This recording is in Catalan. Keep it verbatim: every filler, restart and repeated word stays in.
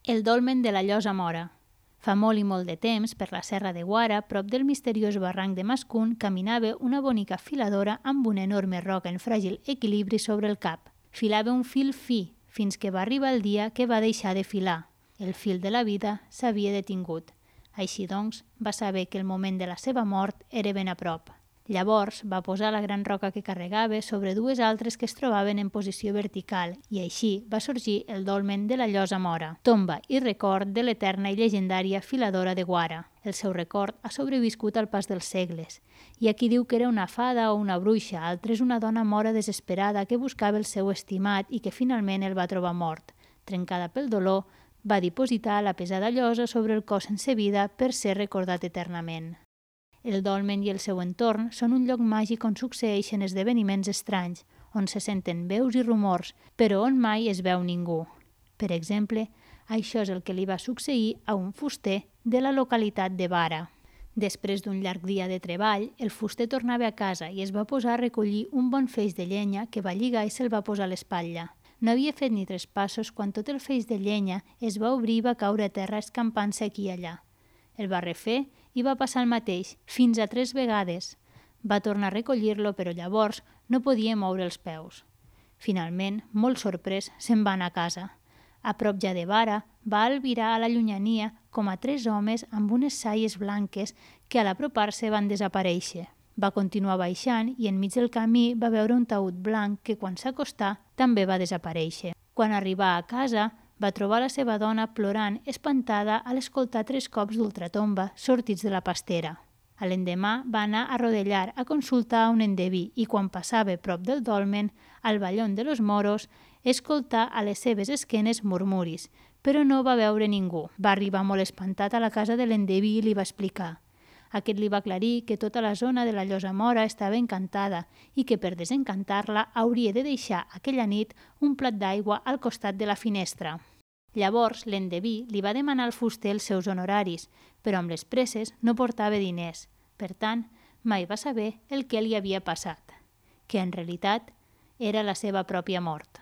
El dolmen de la Llosa Mora. Fa molt i molt de temps, per la serra de Guara, prop del misteriós barranc de Mascún, caminava una bonica filadora amb una enorme roca en fràgil equilibri sobre el cap. Filava un fil fi, fins que va arribar el dia que va deixar de filar. El fil de la vida s'havia detingut. Així doncs, va saber que el moment de la seva mort era ben a prop. Llavors va posar la gran roca que carregava sobre dues altres que es trobaven en posició vertical i així va sorgir el dolmen de la Llosa Mora, tomba i record de l'eterna i llegendària filadora de Guara. El seu record ha sobreviscut al pas dels segles. Hi ha qui diu que era una fada o una bruixa, altres una dona mora desesperada que buscava el seu estimat i que finalment el va trobar mort. Trencada pel dolor, va dipositar la pesada llosa sobre el cos sense vida per ser recordat eternament. El dolmen i el seu entorn són un lloc màgic on succeeixen esdeveniments estranys, on se senten veus i rumors, però on mai es veu ningú. Per exemple, això és el que li va succeir a un fuster de la localitat de Vara. Després d'un llarg dia de treball, el fuster tornava a casa i es va posar a recollir un bon feix de llenya que va lligar i se'l va posar a l'espatlla. No havia fet ni tres passos quan tot el feix de llenya es va obrir i va caure a terra escampant-se aquí i allà. El va refer i va passar el mateix, fins a tres vegades. Va tornar a recollir-lo, però llavors no podia moure els peus. Finalment, molt sorprès, se'n va anar a casa. A prop ja de Vara, va albirar a la llunyania com a tres homes amb unes saies blanques que a l'apropar-se van desaparèixer. Va continuar baixant i enmig del camí va veure un taüt blanc que quan s'acostà també va desaparèixer. Quan arribà a casa, va trobar la seva dona plorant, espantada a l'escoltar tres cops d'ultratomba sortits de la pastera. A l'endemà va anar a rodellar a consultar a un endeví i quan passava prop del dolmen, al Vallón de los Moros, escoltar a les seves esquenes murmuris, però no va veure ningú. Va arribar molt espantat a la casa de l'endeví i li va explicar. Aquest li va aclarir que tota la zona de la Llosa Mora estava encantada i que per desencantar-la hauria de deixar aquella nit un plat d'aigua al costat de la finestra. Llavors l'endeví li va demanar al fuster els seus honoraris, però amb les presses no portava diners. Per tant, mai va saber el que li havia passat, que en realitat era la seva pròpia mort.